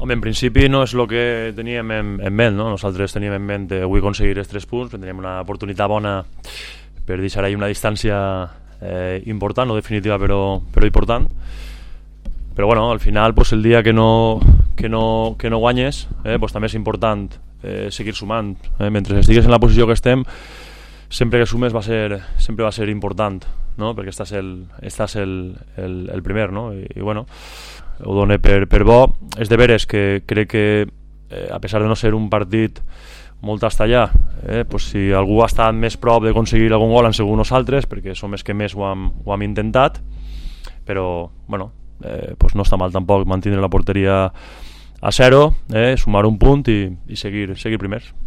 Home, en principi no és el que teníem en ment, no? Nosaltres teníem en ment avui aconseguir els 3 punts, teníem una oportunitat bona per deixar ahí una distància important, no definitiva però important. Però bueno, al final pues, el dia que no guanyes pues, també és important seguir sumant. Mentre estigues en la posició que estem, sempre que sumes sempre va ser important, no? Perquè estàs el primer, no? I bueno, ho dono per bo. És de veres que crec que a pesar de no ser un partit molt hasta allà, pues si algú ha estat més prop d'aconseguir algun gol han sigut nosaltres, perquè som els que més ho hem intentat, però bueno, pues no està mal tampoc mantenir la porteria a 0, sumar un punt i seguir primers.